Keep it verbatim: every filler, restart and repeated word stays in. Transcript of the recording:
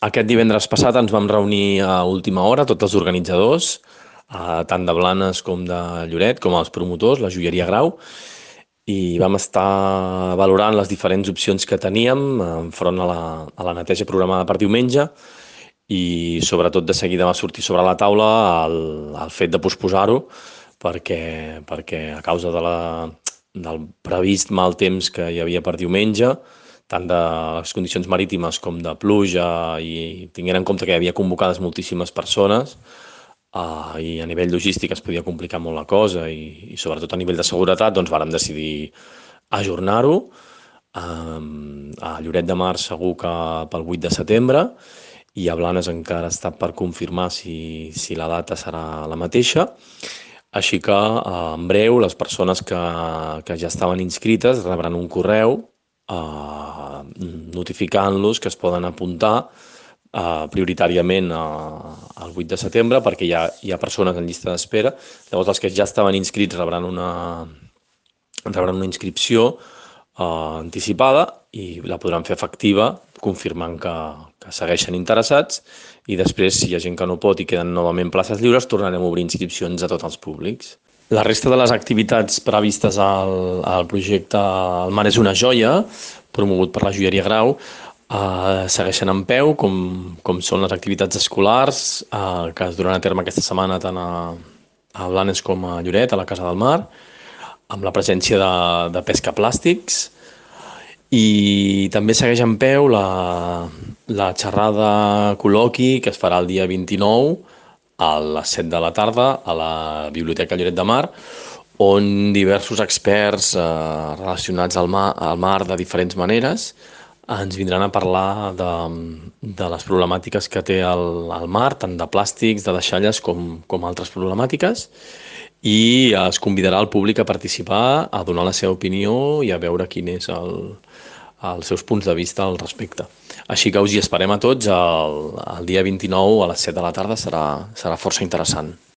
Aquest divendres passat ens vam reunir a última hora, tots els organitzadors, eh, tant de Blanes com de Lloret, com els promotors, la joieria Grau, i vam estar valorant les diferents opcions que teníem enfront a la, a la neteja programada per diumenge i sobretot de seguida va sortir sobre la taula el, el fet de posposar-ho perquè, perquè a causa de la, del previst mal temps que hi havia per diumenge, tant de les condicions marítimes com de pluja i tinguent en compte que hi havia convocades moltíssimes persones, uh, i a nivell logístic es podia complicar molt la cosa i, i sobretot a nivell de seguretat doncs vàrem decidir ajornar-ho. Um, a Lloret de Mar segur que pel vuit de setembre i a Blanes encara està per confirmar si, si la data serà la mateixa. Així que uh, en breu les persones que, que ja estaven inscrites rebran un correu uh, notificant-los que es poden apuntar uh, prioritàriament uh, el vuit de setembre perquè hi ha, hi ha persones en llista d'espera. Llavors els que ja estaven inscrits rebran una, rebran una inscripció uh, anticipada i la podran fer efectiva confirmant que, que segueixen interessats i després, si hi ha gent que no pot i queden novament places lliures, tornarem a obrir inscripcions a tots els públics. La resta de les activitats previstes al, al projecte El mar és una joia, promogut per la joieria Grau, eh, segueixen en peu, com, com són les activitats escolars eh, que es duran a terme aquesta setmana tant a, a Blanes com a Lloret, a la Casa del Mar, amb la presència de, de pesca plàstics, i també segueix en peu la, la xerrada col·loqui que es farà el dia vint-i-nou a les set de la tarda a la Biblioteca Lloret de Mar, on diversos experts eh, relacionats al mar, al mar de diferents maneres ens vindran a parlar de, de les problemàtiques que té el, el mar, tant de plàstics, de deixalles, com, com altres problemàtiques, i es convidarà el públic a participar, a donar la seva opinió i a veure quin és el, els seus punts de vista al respecte. Així que us hi esperem a tots el, el dia vint-i-nou a les set de la tarda, serà, serà força interessant.